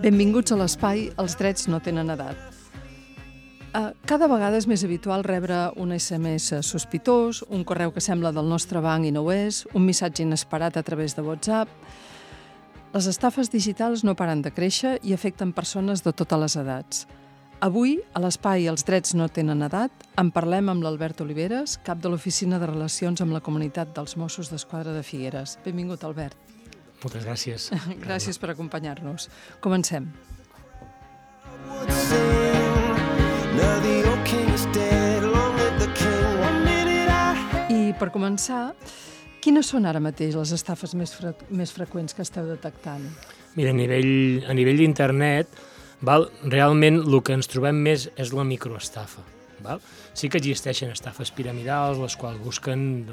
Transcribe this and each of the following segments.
Benvinguts a l'espai Els drets no tenen edat. Cada vegada és més habitual rebre un SMS sospitós, un correu que sembla del nostre banc i no ho és, un missatge inesperat a través de WhatsApp. Les estafes digitals no paren de créixer i afecten persones de totes les edats. Avui, a l'espai Els drets no tenen edat, en parlem amb l'Albert Oliveres, cap de l'Oficina de Relacions amb la Comunitat dels Mossos d'Esquadra de Figueres. Benvingut, Albert. Moltes gràcies. Gràcies per acompanyar-nos. Comencem. I per començar, quines són ara mateix les estafes més freqüents que esteu detectant? Mira, a nivell d'internet, realment el que ens trobem més és la microestafa. Sí que existeixen estafes piramidals, les quals busquen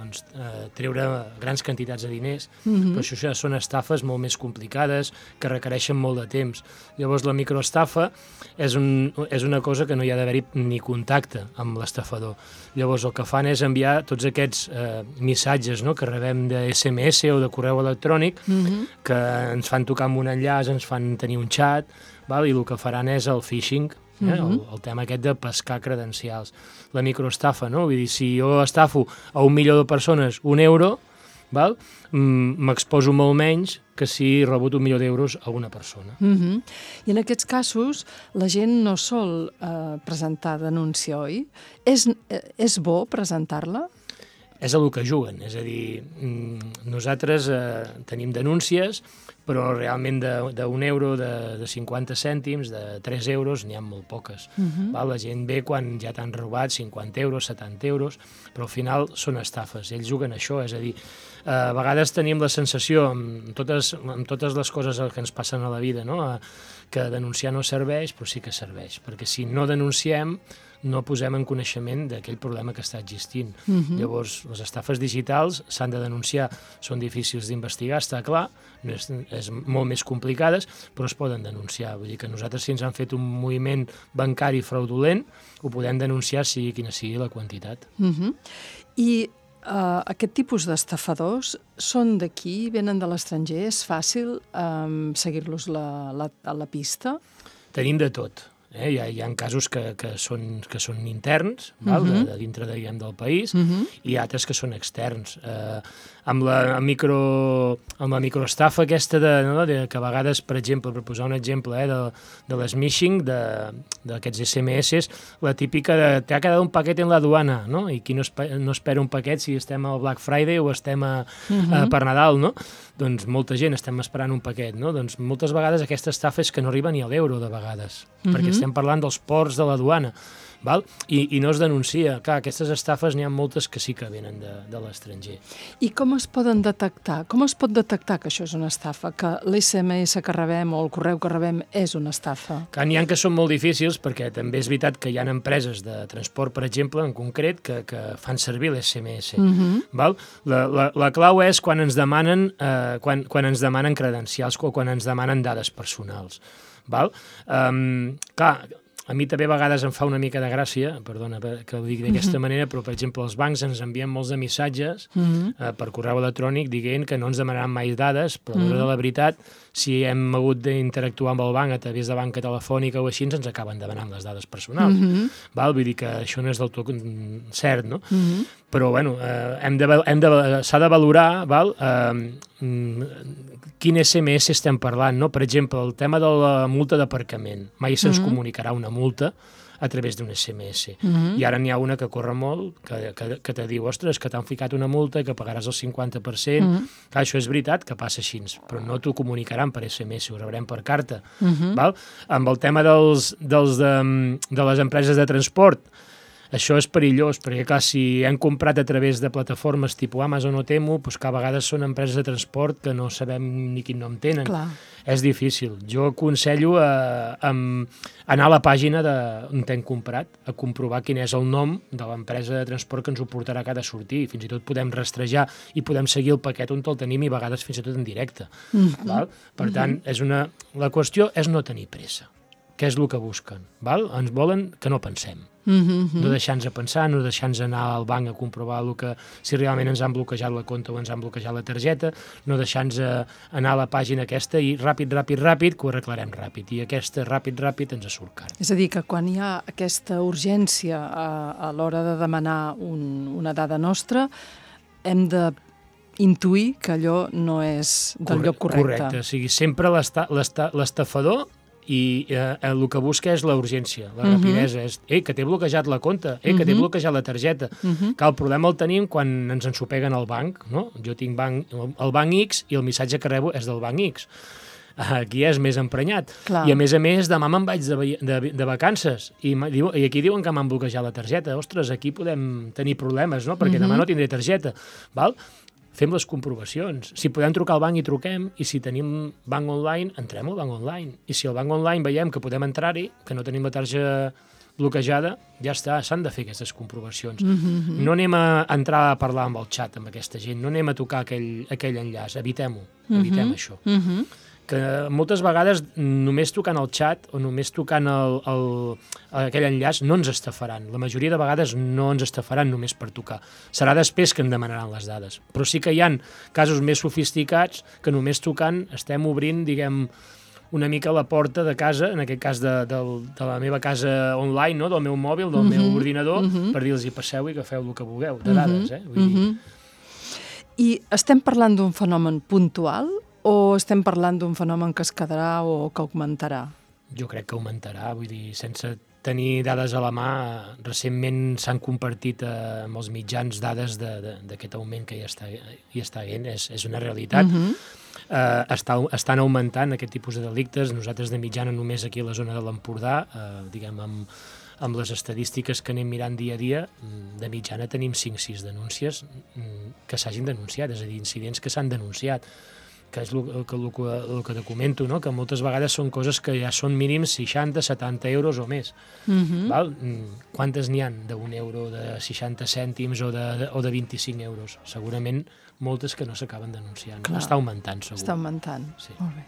treure grans quantitats de diners, però això ja són estafes molt més complicades, que requereixen molt de temps. Llavors, la microestafa és una cosa que no hi ha d'haver-hi ni contacte amb l'estafador. Llavors, el que fan és enviar tots aquests missatges que rebem de SMS o de correu electrònic, que ens fan tocar amb un enllaç, ens fan tenir un xat, i el que faran és el phishing, el tema aquest de pescar credencials. La microestafa, vull dir, si jo estafo a 1 milió de persones €1, m'exposo molt menys que si he rebut 1 milió d'euros a una persona. I en aquests casos la gent no sol presentar denúncia, oi? És bo presentar-la? És el que juguen, és a dir, nosaltres tenim denúncies, però realment d'1 de 50 cèntims, de 3 euros, n'hi ha molt poques. La gent ve quan ja t'han robat 50 euros, 70 euros, però al final són estafes, ells juguen això, és a dir, a vegades tenim la sensació, amb totes les coses que ens passen a la vida, que denunciar no serveix, però sí que serveix, perquè si no denunciem, no posem en coneixement d'aquell problema que està existint. Llavors, les estafes digitals s'han de denunciar, són difícils d'investigar, està clar, és molt més complicades, però es poden denunciar. Vull dir que nosaltres, si ens han fet un moviment bancari fraudulent, ho podem denunciar sigui quina sigui la quantitat. I aquest tipus d'estafadors són d'aquí, venen de l'estranger? És fàcil seguir-los a la pista? Tenim de tot. Hi ha casos que són interns, de dintre del país, i altres que són externs. Amb la microestafa aquesta que a vegades, per exemple, per posar un exemple de l'smishing, d'aquests SMS, la típica de t'ha quedat un paquet en la aduana, i qui no espera un paquet si estem al Black Friday o estem per Nadal, doncs molta gent estem esperant un paquet, doncs moltes vegades aquesta estafa és que no arriba ni a l'euro de vegades, perquè estem parlant dels ports de la duana, i no es denuncia. Clar, aquestes estafes n'hi ha moltes que sí que venen de l'estranger. I com es poden detectar? Com es pot detectar que això és una estafa, que l'SMS que rebem o el correu que rebem és una estafa? Clar, n'hi ha que són molt difícils, perquè també és veritat que hi ha empreses de transport, per exemple, en concret, que fan servir l'SMS. La clau és quan ens demanen credencials o quan ens demanen dades personals. Clar, a mi també a vegades em fa una mica de gràcia, perdona que ho digui d'aquesta manera, però, per exemple, els bancs ens envien molts de missatges per correu electrònic dient que no ens demanaran mai dades, però a l'hora de la veritat, si hem hagut d'interactuar amb el banc a través de banca telefònica o així, ens acaben demanant les dades personals. Vull dir que això no és del tot cert, no? Però, bueno, s'ha de valorar quin SMS estem parlant, no? Per exemple, el tema de la multa d'aparcament. Mai se'ns comunicarà una multa a través d'un SMS. I ara n'hi ha una que corre molt, que te diu, ostres, que t'han ficat una multa i que pagaràs el 50%. Clar, això és veritat que passa així, però no t'ho comunicaran per SMS, ho rebrem per carta. Amb el tema de les empreses de transport, això és perillós, perquè clar, si hem comprat a través de plataformes tipus Amazon o Temu, doncs que a vegades són empreses de transport que no sabem ni quin nom tenen. Clar. És difícil. Jo aconsello anar a la pàgina on hem comprat, a comprovar quin és el nom de l'empresa de transport que ens ho portarà que ha de sortir, i fins i tot podem rastrejar i podem seguir el paquet on el tenim i a vegades fins i tot en directe. Per tant, la qüestió és no tenir pressa. Què és el que busquen? Ens volen que no pensem. No deixar-nos pensar, no deixar-nos anar al banc a comprovar si realment ens han bloquejat la compta o ens han bloquejat la targeta, no deixar-nos anar a la pàgina aquesta i ràpid, que ho arreglarem ràpid. I aquesta ràpid ens surt car. És a dir, que quan hi ha aquesta urgència a l'hora de demanar una dada nostra, hem de intuir que allò no és del lloc correcte. Correcte, o sigui, sempre l'estafador i el que busca és la urgència, la rapidesa, és que t'he bloquejat la compta, que t'he bloquejat la targeta. Que el problema el tenim quan ens ensopeguen al banc, no? Jo tinc el banc X i el missatge que rebo és del banc X. Aquí és més emprenyat. Clar. I a més, demà me'n vaig de vacances i aquí diuen que m'han bloquejat la targeta. Ostres, aquí podem tenir problemes, no? Perquè demà no tindré targeta. Val? Fem les comprovacions. Si podem trucar al banc, hi truquem, i si tenim banc online, entrem al banc online. I si al banc online veiem que podem entrar-hi, que no tenim la targeta bloquejada, ja està, s'han de fer aquestes comprovacions. No anem a entrar a parlar amb el xat, amb aquesta gent, no anem a tocar aquell enllaç, evitem-ho, evitem això. Que moltes vegades només tocant el xat o només tocant aquell enllaç no ens estafaran. La majoria de vegades no ens estafaran només per tocar. Serà després que en demanaran les dades. Però sí que hi ha casos més sofisticats que només tocant estem obrint, diguem, una mica la porta de casa, en aquest cas de la meva casa online, no? Del meu mòbil, del meu ordinador, per dir-los passeu i agafeu el que vulgueu, de dades. Vull dir... I estem parlant d'un fenomen puntual o estem parlant d'un fenomen que es quedarà o que augmentarà? Jo crec que augmentarà, vull dir, sense tenir dades a la mà, recentment s'han compartit amb els mitjans dades d'aquest augment que hi està havent, és una realitat. Estan augmentant aquest tipus de delictes. Nosaltres de mitjana només aquí a la zona de l'Empordà, diguem, amb les estadístiques que anem mirant dia a dia, de mitjana tenim 5-6 denúncies que s'hagin denunciat, és a dir, incidents que s'han denunciat, que és el que te comento, no? Que moltes vegades són coses que ja són mínims 60-70 euros o més. Val? Quantes n'hi ha d'1 euro, de 60 cèntims o de 25 euros? Segurament moltes que no s'acaben denunciant. Clar. Està augmentant, segur. Està augmentant. Sí. Molt bé.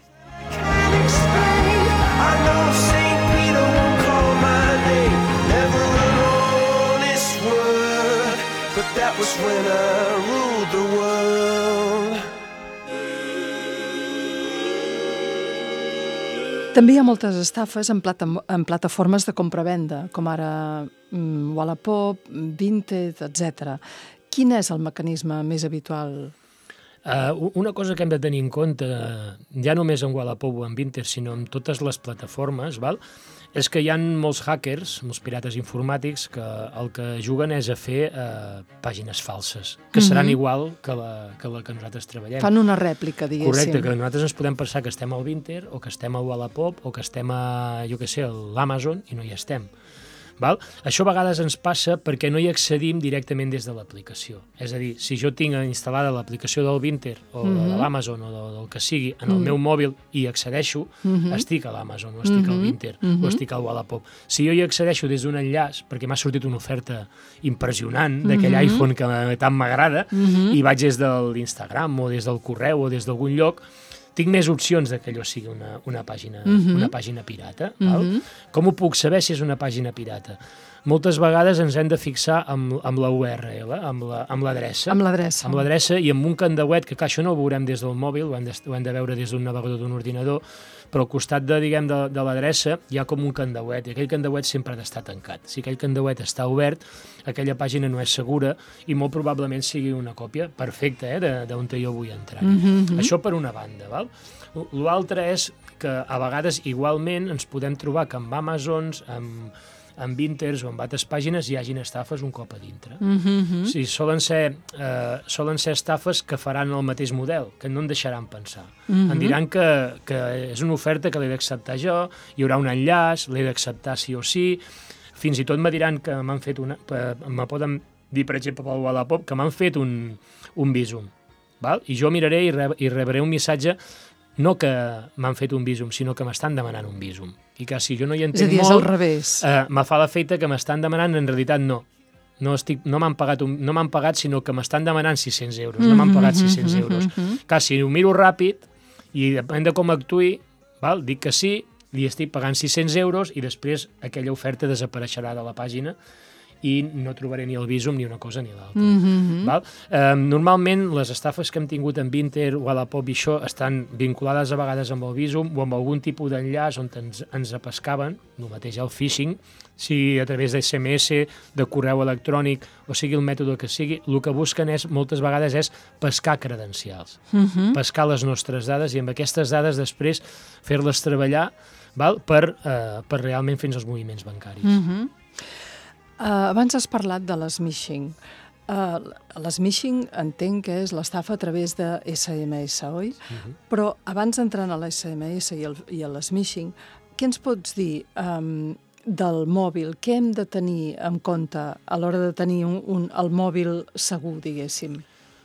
També hi ha moltes estafes en plataformes de compra-venda, com ara Wallapop, Vinted, etc. Quin és el mecanisme més habitual? Una cosa que hem de tenir en compte, ja només en Wallapop o en Vinted, sinó en totes les plataformes, és que hi ha molts hackers, molts pirates informàtics, que el que juguen és a fer pàgines falses, que seran igual que la que nosaltres treballem. Fan una rèplica, diguéssim. Correcte, que nosaltres ens podem pensar que estem al Vinted o que estem al Wallapop o que estem a, jo què sé, a l'Amazon i no hi estem. Val? Això a vegades ens passa perquè no hi accedim directament des de l'aplicació. És a dir, si jo tinc instal·lada l'aplicació del Vinted o de l'Amazon o del que sigui en el meu mòbil i accedeixo, estic a l'Amazon o estic al Vinted o estic al Wallapop. Si jo hi accedeixo des d'un enllaç, perquè m'ha sortit una oferta impressionant d'aquell iPhone que tant m'agrada, i vaig des de l'Instagram o des del correu o des d'algun lloc, tinc més opcions que allò sigui una pàgina pirata. Val? Com ho puc saber si és una pàgina pirata? Moltes vegades ens hem de fixar amb la URL, amb l'adreça. Amb l'adreça. Amb l'adreça i amb un candauet, que això no ho veurem des del mòbil, ho hem de veure des d'un navegador d'un ordinador, però al costat de l'adreça hi ha com un candauet, i aquell candauet sempre ha d'estar tancat. Si aquell candauet està obert, aquella pàgina no és segura i molt probablement sigui una còpia perfecta d'on jo vull entrar. Això per una banda. Val? L'altre és que a vegades igualment ens podem trobar que amb Amazons, amb Vinted o amb altres pàgines hi hagin estafes un cop a dintre. Sí, solen ser estafes que faran el mateix model, que no en deixaran pensar. Em diran que és una oferta que l'he d'acceptar jo, hi haurà un enllaç, l'he d'acceptar sí o sí, fins i tot me diran que m'han fet me poden dir, per exemple, pel Wallapop, que m'han fet un Bizum. Val? I jo miraré i rebré un missatge no que m'han fet un Bizum, sinó que m'estan demanant un Bizum. I que si jo no hi entenc molt... És a dir, és al revés. Me fa l'efecte que m'estan demanant, en realitat no. No m'han pagat, sinó que m'estan demanant 600 euros. No m'han pagat 600 euros. Clar, si ho miro ràpid, i depèn de com actuï, dic que sí, li estic pagant 600 euros i després aquella oferta desapareixerà de la pàgina i no trobaré ni el Bizum ni una cosa ni l'altra. Normalment les estafes que hem tingut en Vinted o a la Pop i això estan vinculades a vegades amb el Bizum o amb algun tipus d'enllaç on ens apescaven, el mateix el phishing, sigui a través de SMS, de correu electrònic o sigui el mètode que sigui, el que busquen moltes vegades és pescar credencials, pescar les nostres dades i amb aquestes dades després fer-les treballar per realment fer els moviments bancaris. Abans has parlat de l'smishing. L'smishing entenc que és l'estafa a través de SMS, oi? Però abans d'entrar a l'SMS i a l'smishing, què ens pots dir del mòbil? Què hem de tenir en compte a l'hora de tenir el mòbil segur, diguéssim?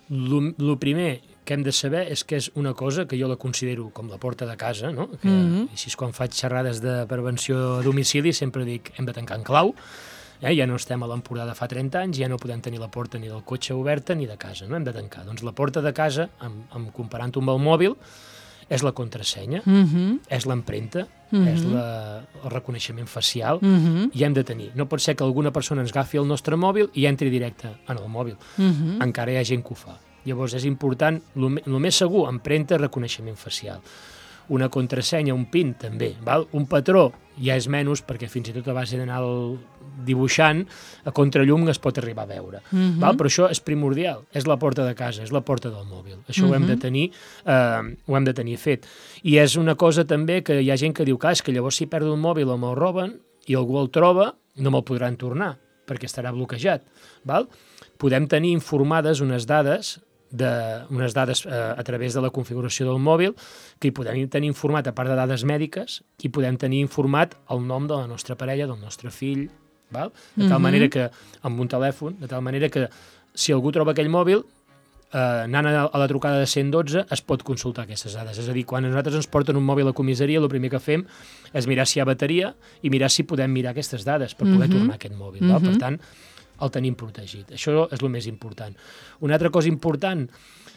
El primer que hem de saber és que és una cosa que jo la considero com la porta de casa, no? Així és quan faig xerrades de prevenció a domicili, sempre dic hem de tancar en clau. Ja no estem a l'Empordà de fa 30 anys, ja no podem tenir la porta ni del cotxe oberta ni de casa, no? Hem de tancar. Doncs la porta de casa, comparant-ho amb el mòbil, és la contrasenya, és l'empremta, és el reconeixement facial, i hem de tenir. No pot ser que alguna persona ens agafi el nostre mòbil i entri directe en el mòbil. Encara hi ha gent que ho fa. Llavors és important, el més segur, empremta, reconeixement facial. Una contrasenya, un PIN, també. Un patró ja és menys, perquè fins i tot a base d'anar dibuixant, a contrallum es pot arribar a veure. Però això és primordial, és la porta de casa, és la porta del mòbil. Això ho hem de tenir fet. I és una cosa també que hi ha gent que diu que és que llavors si perdo el mòbil o me'l roben i algú el troba, no me'l podran tornar, perquè estarà bloquejat. Podem tenir informades unes dades a través de la configuració del mòbil, que hi podem tenir informat, a part de dades mèdiques, i podem tenir informat el nom de la nostra parella, del nostre fill, de tal manera que, amb un telèfon, de tal manera que si algú troba aquell mòbil, anant a la trucada de 112 es pot consultar aquestes dades. És a dir, quan a nosaltres ens porten un mòbil a la comissaria, el primer que fem és mirar si hi ha bateria i mirar si podem mirar aquestes dades per poder tornar aquest mòbil. Per tant, el tenim protegit. Això és el més important. Una altra cosa important,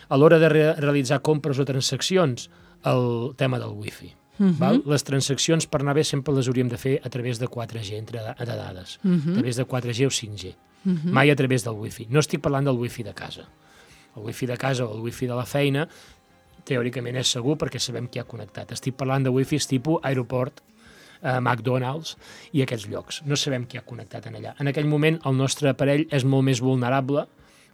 a l'hora de realitzar compres o transaccions, el tema del wifi. Les transaccions, per anar bé, sempre les hauríem de fer a través de 4G de dades, a través de 4G o 5G, mai a través del wifi. No estic parlant del wifi de casa. El wifi de casa o el wifi de la feina, teòricament és segur perquè sabem qui ha connectat. Estic parlant de wifis tipus aeroport, McDonald's i aquests llocs. No sabem qui ha connectat en allà. En aquell moment el nostre aparell és molt més vulnerable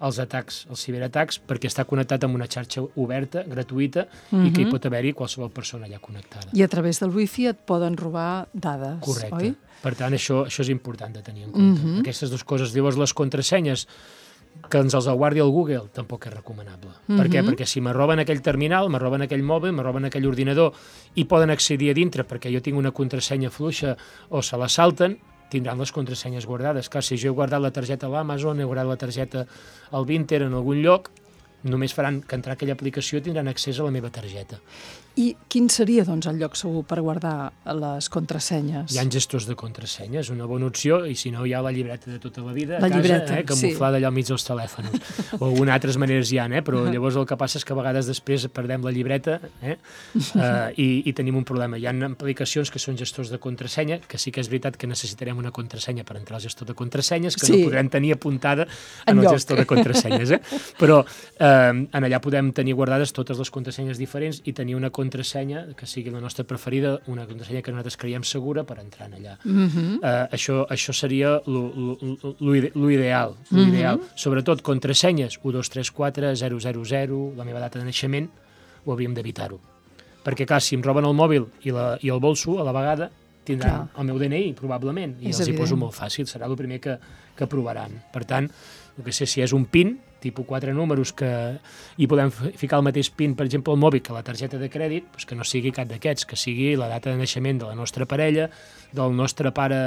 als atacs, als ciberatacs, perquè està connectat amb una xarxa oberta, gratuïta, i que hi pot haver-hi qualsevol persona allà connectada. I a través del wifi et poden robar dades, correcte, oi? Per tant, això és important de tenir en compte. Aquestes dues coses. Llavors, les contrasenyes, que ens els guardi el Google, tampoc és recomanable. Per què? Perquè si me roben aquell terminal, me roben aquell mòbil, me roben aquell ordinador i poden accedir a dintre perquè jo tinc una contrasenya fluixa o se la salten, tindran les contrasenyes guardades. Clar, si jo he guardat la targeta a l'Amazon, he guardat la targeta al Vinted en algun lloc, només faran que entrar a aquella aplicació i tindran accés a la meva targeta. I quin seria, doncs, el lloc segur per guardar les contrasenyes? Hi ha gestors de contrasenyes, una bona opció, i si no hi ha la llibreta de tota la vida a casa, llibreta, camuflada allà al mig dels telèfons. O algunes altres maneres hi ha, però llavors el que passa és que a vegades després perdem la llibreta i tenim un problema. Hi ha aplicacions que són gestors de contrasenya, que sí que és veritat que necessitarem una contrasenya per entrar al gestor de contrasenyes, que no podrem tenir apuntada en el gestor de contrasenyes. Però en allà podem tenir guardades totes les contrasenyes diferents i tenir una contrasenya que sigui la nostra preferida, una contrasenya que nosaltres creiem segura per entrar en allà. Això seria l'ideal. Sobretot contrasenyes 1234, 000, la meva data de naixement, ho hauríem d'evitar-ho. Perquè, clar, si em roben el mòbil i el bolso, a la vegada tindran el meu DNI, probablement, i els hi poso molt fàcil, serà el primer que provaran. Per tant, si és un PIN, tipus 4 números, i podem ficar el mateix PIN, per exemple, al mòbil que la targeta de crèdit, que no sigui cap d'aquests, que sigui la data de naixement de la nostra parella, del nostre pare,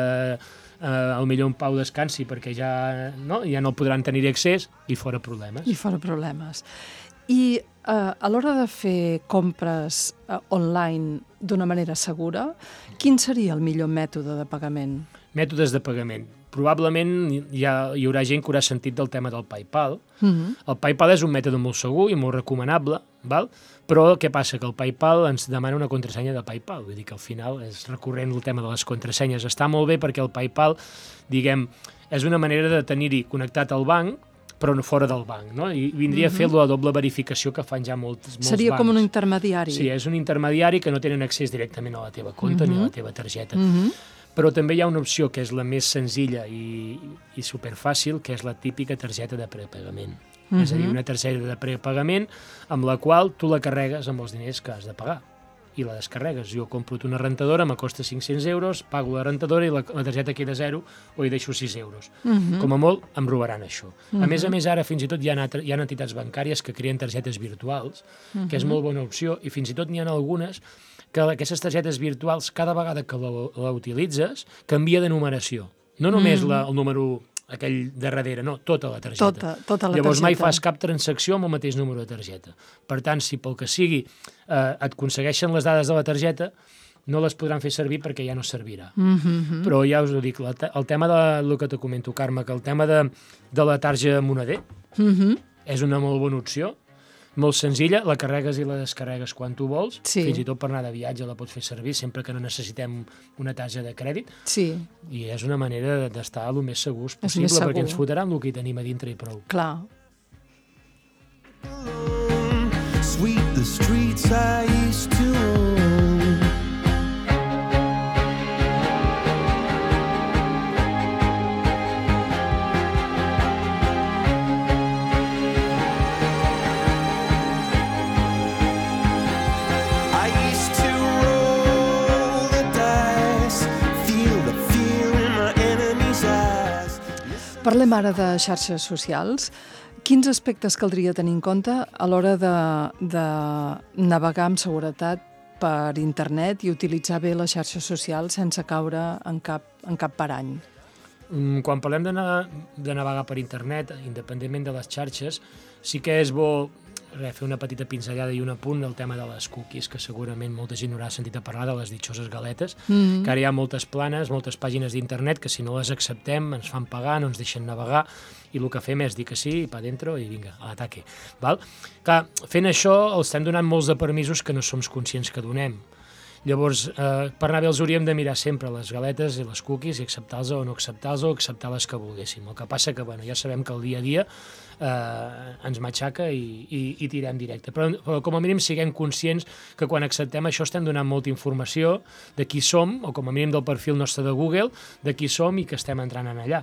al millor en pau descansi, perquè ja no podran tenir accés, i fora problemes. I a l'hora de fer compres online d'una manera segura, quin seria el millor mètode de pagament? Mètodes de pagament. Probablement hi haurà gent que haurà sentit del tema del PayPal. El PayPal és un mètode molt segur i molt recomanable, val? Però què passa? Que el PayPal ens demana una contrasenya de PayPal, vull dir que al final és recurrent el tema de les contrasenyes. Està molt bé perquè el PayPal, diguem, és una manera de tenir-hi connectat al banc, però no fora del banc, no? I vindria a fer la doble verificació que fan ja molts bancs. Seria com un intermediari. Sí, és un intermediari que no tenen accés directament a la teva compte ni a la teva targeta. Però també hi ha una opció que és la més senzilla i superfàcil, que és la típica targeta de prepagament. És a dir, una targeta de prepagament amb la qual tu la carregues amb els diners que has de pagar i la descarregues. Jo compro una rentadora, me costa 500 euros, pago la rentadora i la targeta queda 0 o hi deixo 6 euros. Com a molt, em robaran això. A més, ara fins i tot hi ha entitats bancàries que creen targetes virtuals, que és molt bona opció, i fins i tot n'hi ha algunes que aquestes targetes virtuals, cada vegada que la utilitzes, canvia de numeració. No només el número aquell de darrere, no, tota la targeta. Tota la Llavors targeta. mai fas cap transacció amb el mateix número de targeta. Per tant, si pel que sigui et aconsegueixen les dades de la targeta, no les podran fer servir perquè ja no servirà. Però ja us ho dic, el tema del que te comento, Carme, que el tema de la tarja moneder és una molt bona opció, molt senzilla, la carregues i la descarregues quan tu vols, fins i tot per anar de viatge la pots fer servir, sempre que no necessitem una tarja de crèdit, i és una manera d'estar el més segurs possible, perquè ens fotran el que hi tenim a dintre i prou. Clar. Sweep the streets I used to own. Parlem ara de xarxes socials. Quins aspectes caldria tenir en compte a l'hora de navegar amb seguretat per internet i utilitzar bé les xarxes socials sense caure en cap parany? Quan parlem de navegar per internet, independentment de les xarxes, sí que és bo fer una petita pinzellada i un apunt del tema de les cookies, que segurament molta gent haurà sentit a parlar de les ditxoses galetes, que ara hi ha moltes planes, moltes pàgines d'internet que si no les acceptem ens fan pagar, no ens deixen navegar, i el que fem és dir que sí, pa dentro i vinga, a l'ataque. Clar, fent això els estem donant molts de permisos que no som conscients que donem. Llavors, per anar bé els hauríem de mirar sempre les galetes i les cookies i acceptar-les o no acceptar-les o acceptar les que volguéssim. El que passa que ja sabem que el dia a dia ens matxaca i tirem directe. Però com a mínim siguem conscients que quan acceptem això estem donant molta informació de qui som, o com a mínim del perfil nostre de Google, de qui som i que estem entrant en allà.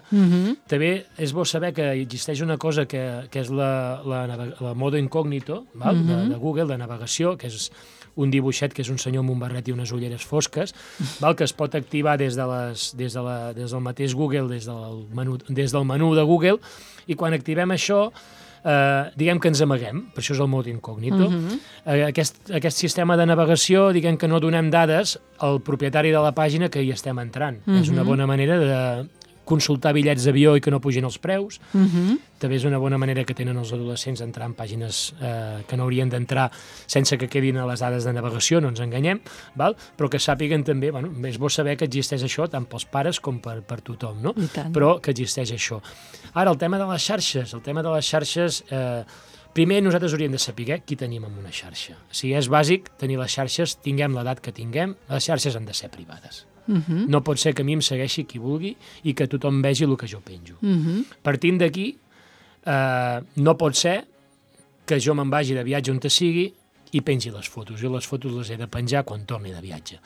També és bo saber que existeix una cosa que és la modo incògnito de Google, de navegació, que és un dibuixet que és un senyor amb un barret i unes ulleres fosques, que es pot activar des del mateix Google, des del menú de Google, i quan activem això, diguem que ens amaguem, per això és el mode incògnito. Aquest sistema de navegació, diguem que no donem dades al propietari de la pàgina que hi estem entrant. És una bona manera de consultar bitllets d'avió i que no pugin els preus. També és una bona manera que tenen els adolescents d'entrar en pàgines que no haurien d'entrar sense que quedin a les dades de navegació, no ens enganyem, però que sàpiguen també, és bo saber que existeix això tant pels pares com per tothom, no? Però que existeix això. Ara, el tema de les xarxes, primer nosaltres hauríem de saber qui tenim en una xarxa. Si és bàsic tenir les xarxes, tinguem l'edat que tinguem, les xarxes han de ser privades. No pot ser que a mi em segueixi qui vulgui i que tothom vegi el que jo penjo. Partint d'aquí, no pot ser que jo me'n vagi de viatge on te sigui i pengi les fotos. Jo les fotos les he de penjar quan torni de viatge.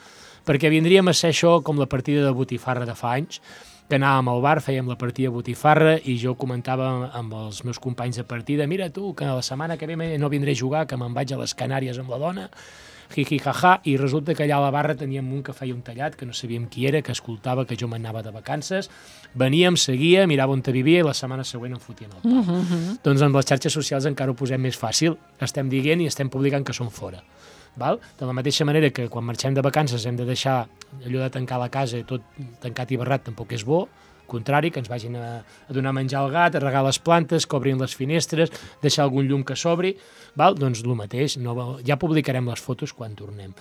Perquè vindríem a ser això com la partida de botifarra de fa anys, que anàvem al bar, fèiem la partida de botifarra i jo comentava amb els meus companys de partida: mira tu, que la setmana que ve no vindré a jugar, que me'n vaig a les Canàries amb la dona, jiji, jaja, i resulta que allà a la barra teníem un que feia un tallat, que no sabíem qui era, que escoltava que jo m'anava de vacances, veníem, seguia, mirava on te vivia i la setmana següent em fotien el pal. Doncs amb les xarxes socials encara ho posem més fàcil, estem dient i estem publicant que són fora. De la mateixa manera que quan marxem de vacances hem de deixar allò de tancar la casa i tot tancat i barrat tampoc és bo, contrari, que ens vagin a donar menjar al gat, a regar les plantes, que obrin les finestres, deixar algun llum que s'obri, doncs el mateix, ja publicarem les fotos quan tornem.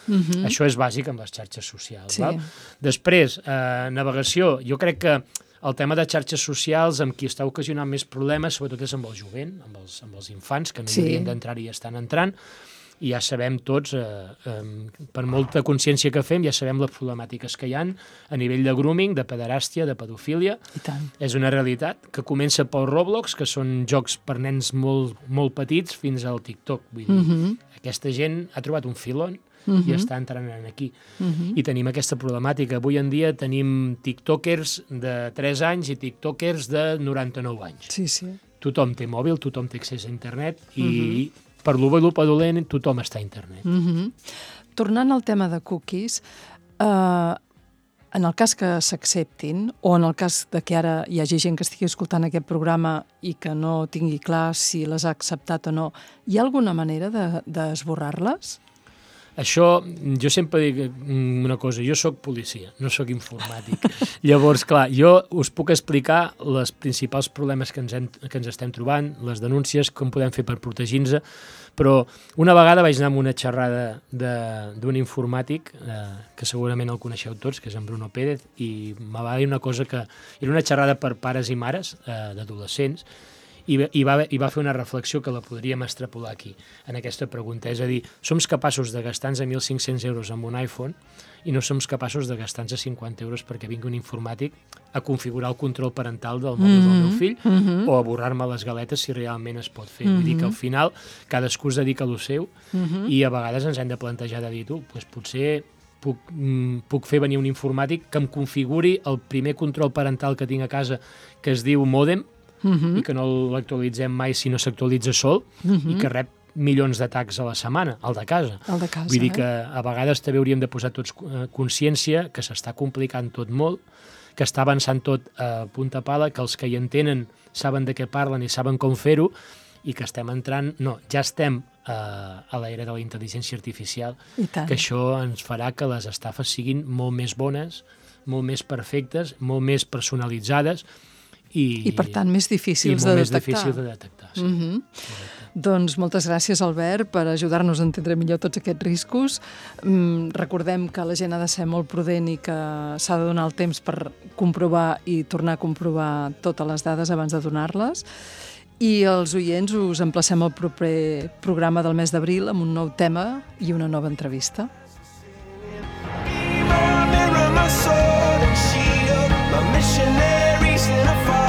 Això és bàsic amb les xarxes socials. Després, navegació, jo crec que el tema de xarxes socials amb qui està ocasionant més problemes, sobretot és amb el jovent, amb els infants, que no hi haurien d'entrar i estan entrant, i ja sabem tots, per molta consciència que fem, ja sabem les problemàtiques que hi ha a nivell de grooming, de pederàstia, de pedofília. I tant. És una realitat que comença pel Roblox, que són jocs per nens molt, molt petits, fins al TikTok. Vull dir, aquesta gent ha trobat un filon i està entrant aquí. I tenim aquesta problemàtica. Avui en dia tenim tiktokers de 3 anys i tiktokers de 99 anys. Sí, sí. Tothom té mòbil, tothom té accés a internet i per lo bo i lo dolent tothom està a internet. Tornant al tema de cookies, en el cas que s'acceptin, o en el cas de que ara hi hagi gent que estigui escoltant aquest programa i que no tingui clar si les ha acceptat o no, hi ha alguna manera d'esborrar-les? Això, jo sempre dic una cosa, jo sóc policia, no sóc informàtic. Llavors, clar, jo us puc explicar els principals problemes que ens estem trobant, les denúncies, com podem fer per protegir-nos, però una vegada vaig anar a una xerrada d'un informàtic, que segurament el coneixeu tots, que és en Bruno Pérez, i me va dir una cosa que era una xerrada per pares i mares d'adolescents, i va fer una reflexió que la podríem extrapolar aquí, en aquesta pregunta. És a dir, som capaços de gastar-nos 1.500 euros amb un iPhone i no som capaços de gastar-nos 50 euros perquè vingui un informàtic a configurar el control parental del mòbil del meu fill o a borrar-me les galetes si realment es pot fer. Vull dir que al final cadascú es dedica a lo seu i a vegades ens hem de plantejar de dir, doncs potser puc fer venir un informàtic que em configuri el primer control parental que tinc a casa, que es diu mòdem, i que no l'actualitzem mai si no s'actualitza sol, i que rep milions d'atacs a la setmana, el de casa. El de casa, Vull dir que a vegades també hauríem de posar tots consciència que s'està complicant tot molt, que està avançant tot a punta pala, que els que hi entenen saben de què parlen i saben com fer-ho, i que estem entrant... No, ja estem a l'era de la intel·ligència artificial, que això ens farà que les estafes siguin molt més bones, molt més perfectes, molt més personalitzades, i per tant més difícils de detectar. I molt més difícils de detectar, sí. Doncs moltes gràcies, Albert, per ajudar-nos a entendre millor tots aquests riscos. Recordem que la gent ha de ser molt prudent i que s'ha de donar el temps per comprovar i tornar a comprovar totes les dades abans de donar-les. I els oients us emplacem al proper programa del mes d'abril amb un nou tema i una nova entrevista. Missionaries in a fire.